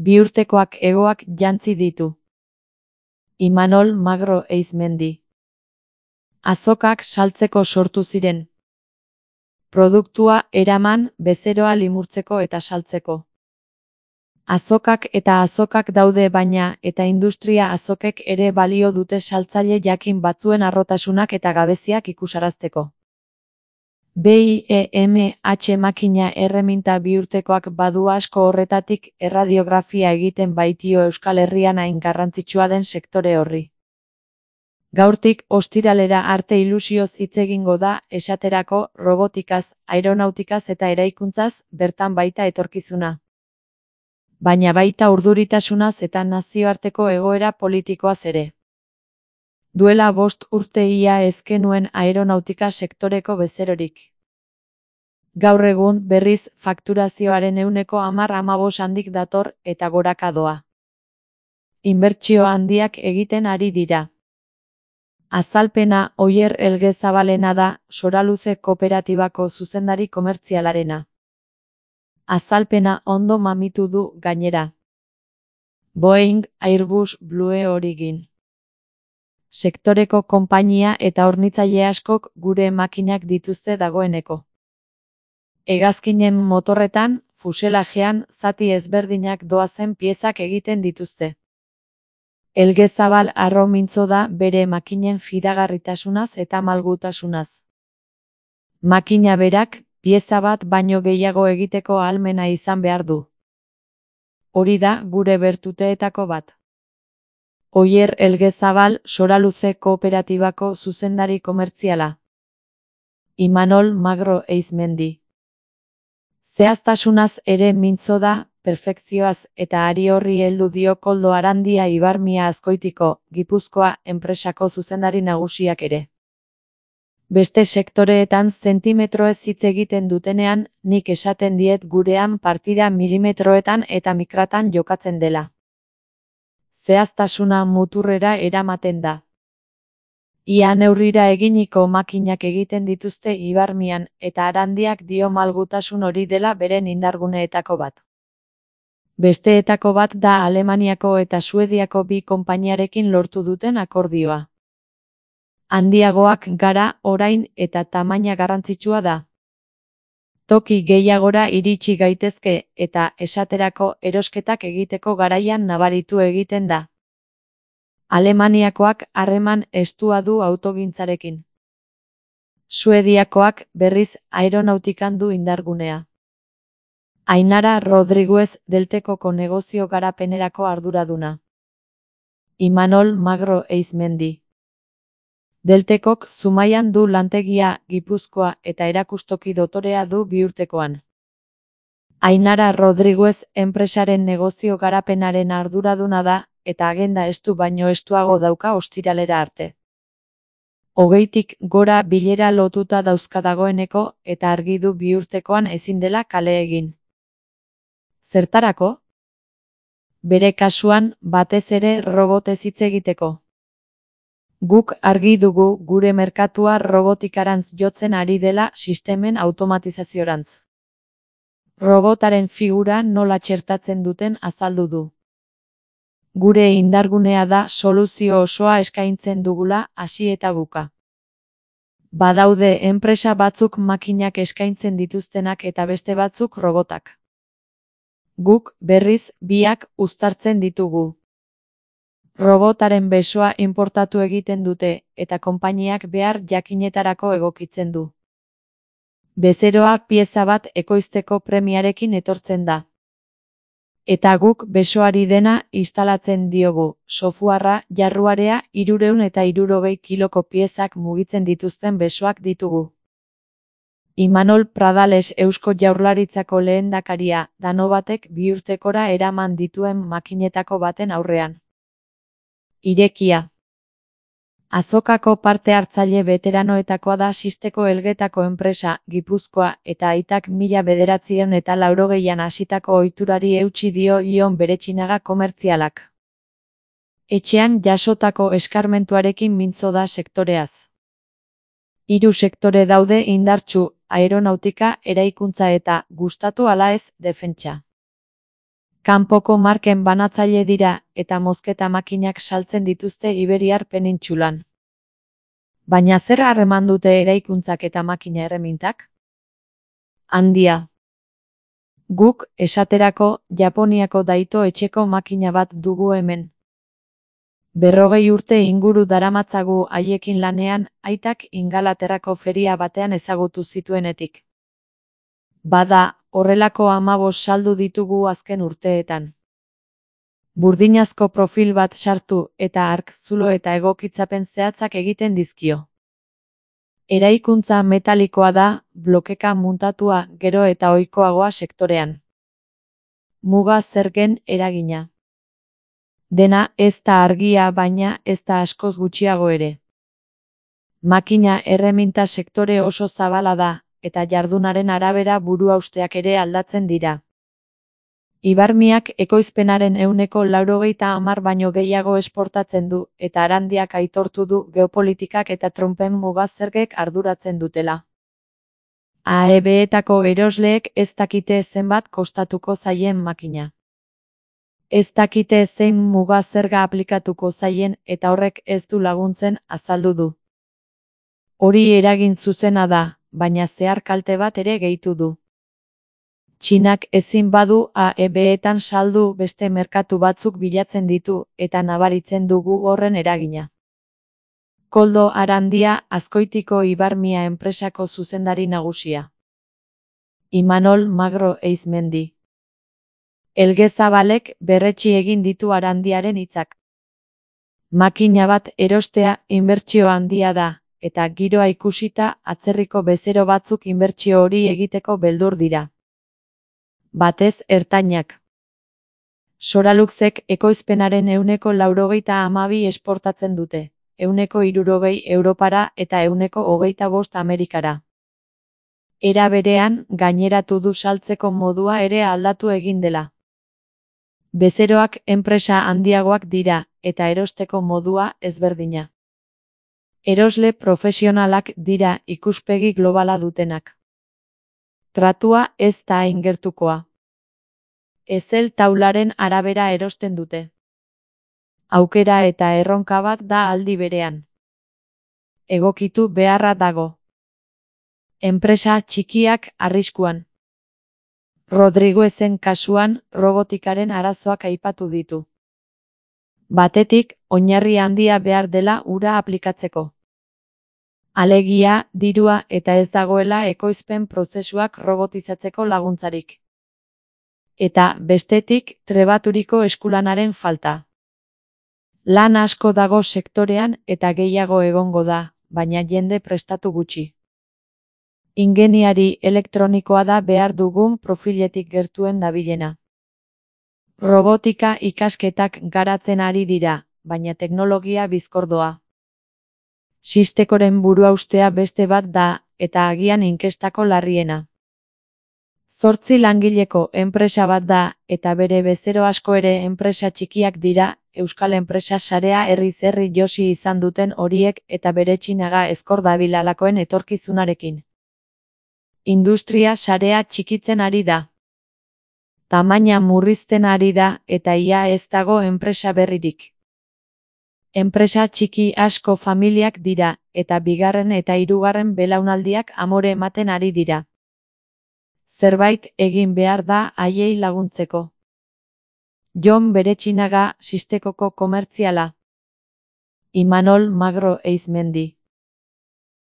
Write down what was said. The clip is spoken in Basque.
Bi urtekoak hegoak jantzi ditu. Imanol Magro Eizmendi. Azokak saltzeko sortu ziren. Produktua eraman, bezeroa limurtzeko eta saltzeko. Azokak eta azokak daude baina, eta industria azokek ere balio dute saltzaile jakin batzuen harrotasunak eta gabeziak ikusarazteko. BIEMH makina erreminta biurtekoak badu asko horretatik erradiografia egiten baitio Euskal Herrian hain garrantzitsua den sektore horri. Gaurtik ostiralera arte ilusioz hitz egingo da, esaterako, robotikaz, aeronautikaz eta eraikuntzaz, bertan baita etorkizuna. Baina baita urduritasunaz eta nazioarteko egoera politikoaz ere. Duela 5 urte ia ez genuen aeronautika sektoreko bezerorik. Gaur egun, berriz, fakturazioaren 10-15 handik dator eta goraka doa. Inbertsio handiak egiten ari dira. Azalpena Oier Elgezabalena da, Soraluze Kooperatibako zuzendari komertzialarena. Azalpena ondo mamitu du gainera. Boeing, Airbus, Blue Origin. Sektoreko konpainia eta hornitzaile askok gure makinak dituzte dagoeneko. Hegazkinen motorretan, fuselajean, zati ezberdinak doazen piezak egiten dituzte. Elgezabal harro mintzo da bere makinen fidagarritasunaz eta malgutasunaz. Makina berak, pieza bat baino gehiago egiteko ahalmena izan behar du. Hori da gure bertuteetako bat. Oier Elgezabal, Soraluze Kooperatibako zuzendari komertziala. Imanol Magro Eizmendi. Zehaztasunaz ere mintzo da, perfekzioaz eta ari horri heldu dio Koldo Arandia Ibarmia Azkoitiko, Gipuzkoa, enpresako zuzendari nagusiak ere. Beste sektoreetan zentimetroez hitz egiten dutenean, nik esaten diet gurean partida milimetroetan eta mikratan jokatzen dela. Zehaztasuna muturrera eramaten da. Ia neurrira eginiko makinak egiten dituzte Ibarmian eta Arandiak dio malgutasun hori dela beren indarguneetako bat. Besteetako bat da Alemaniako eta Suediako bi konpainiarekin lortu duten akordioa. Handiagoak gara orain eta tamaina garrantzitsua da. Toki gehiagora iritsi gaitezke eta esaterako erosketak egiteko garaian nabaritu egiten da. Alemaniakoak harreman estua du autogintzarekin. Suediakoak berriz aeronautikan du indargunea. Ainara Rodriguez Deltekoko negozio garapenerako arduraduna. Imanol Magro Eizmendi. Deltekok Zumaian du lantegia, Gipuzkoa eta erakustoki dotorea du Biurtekoan. Ainara Rodriguez enpresaren negozio garapenaren arduraduna da, eta agenda estu baino estuago dauka ostiralera arte. 20tik gora bilera lotuta dauzka dagoeneko eta argi du Biurtekoan ezin dela kale egin. Zertarako? Bere kasuan, batez ere robotez hitz egiteko. Guk argi dugu gure merkatua robotikarantz jotzen ari dela sistemen automatizaziorantz. Robotaren figura nola txertatzen duten azaldu du. Gure indargunea da soluzio osoa eskaintzen dugula hasi eta buka. Badaude enpresa batzuk makinak eskaintzen dituztenak eta beste batzuk robotak. Guk, berriz, biak uztartzen ditugu. Robotaren besoa inportatu egiten dute, eta konpainiak behar jakinetarako egokitzen du. Bezeroa pieza bat ekoizteko premiarekin etortzen da. Eta guk besoari dena instalatzen diogu, softwarea, jarruarea, 360 kiloko piezak mugitzen dituzten besoak ditugu. Imanol Pradales Eusko Jaurlaritzako lehendakaria, Danobatek Biurtekora eraman dituen makinetako baten aurrean. Irekia. Azokako parte hartzaile veteranoetakoa da Sisteko Elgetako enpresa, Gipuzkoa, eta aitak 1980an hasitako ohiturari eutsi dio Ion Beretxinaga komertzialak. Etxean jasotako eskarmentuarekin mintzo da sektoreaz. 3 sektore daude indartsu, aeronautika, eraikuntza eta, gustatu ala ez, defentsa. Kanpoko marken banatzaile dira eta mozketa makinak saltzen dituzte Iberiar penintsulan. Baina zer harreman dute eraikuntzak eta makina erremintak? Handia. Guk, esaterako, Japoniako Daito etxeko makina bat dugu hemen. 40 urte inguru daramatzagu haiekin lanean, aitak Ingalaterrako feria batean ezagutu zituenetik. Bada, horrelako 15 saldu ditugu azken urteetan. Burdinazko profil bat sartu eta ark zulo eta egokitzapen zehatzak egiten dizkio. Eraikuntza metalikoa da, blokeka muntatua gero eta ohikoagoa sektorean. Muga zergen eragina. Dena ez da argia baina ez da askoz gutxiago ere. Makina erreminta sektore oso zabala da, eta jardunaren arabera buruhausteak ere aldatzen dira. Ibarmiak ekoizpenaren 90% baino gehiago esportatzen du, eta Arandiak aitortu du geopolitikak eta Trumpen mugazergek arduratzen dutela. AEB-etako erosleek ez dakite zenbat kostatuko zaien makina. Ez dakite zein mugazerga aplikatuko zaien eta horrek ez du laguntzen azaldu du. Hori eragin zuzena da, baina zehar kalte bat ere gehitu du. Txinak ezin badu AEB-etan saldu beste merkatu batzuk bilatzen ditu eta nabaritzen dugu horren eragina. Koldo Arandia, Azkoitiko Ibarmia enpresako zuzendari nagusia. Imanol Magro Eizmendi. Elge Zabalek berretsi egin ditu Arandiaren hitzak. Makina bat erostea inbertsio handia da, eta giroa ikusita atzerriko bezero batzuk inbertsio hori egiteko beldur dira. Batez ertainak. Soraluxek ekoizpenaren 92% esportatzen dute, 60% Europara eta 25% Amerikara. Era berean, gaineratu du saltzeko modua ere aldatu egin dela. Bezeroak enpresa handiagoak dira, eta erosteko modua ezberdina. Erosle profesionalak dira ikuspegi globala dutenak. Tratua ez da hain gertukoa. Ezel taularen arabera erosten dute. Aukera eta erronka bat da aldi berean. Egokitu beharra dago. Enpresa txikiak arriskuan. Rodriguezen kasuan, robotikaren arazoak aipatu ditu. Batetik, oinarri handia behar dela ura aplikatzeko. Alegia, dirua eta ez dagoela ekoizpen prozesuak robotizatzeko laguntzarik. Eta, bestetik, trebaturiko eskulanaren falta. Lan asko dago sektorean eta gehiago egongo da, baina jende prestatu gutxi. Ingeniari elektronikoa da behar dugun profiletik gertuen dabilena. Robotika ikasketak garatzen ari dira, baina teknologia bizkordoa. Sistekoren buruhaustea beste bat da, eta agian inkestako larriena. 8 langileko enpresa bat da, eta bere bezero asko ere enpresa txikiak dira, Euskal Enpresa Sarea herriz herri josi izan duten horiek eta bere txinaga ezkor dabilalakoen etorkizunarekin. Industria sarea txikitzen ari da. Tamaina murrizten ari da eta ia ez dago enpresa berririk. Enpresa txiki asko familiak dira eta bigarren eta hirugarren belaunaldiak amore ematen ari dira. Zerbait egin behar da haiei laguntzeko. Jon Beretxinaga, Sistekoko komertziala. Imanol Magro Eizmendi.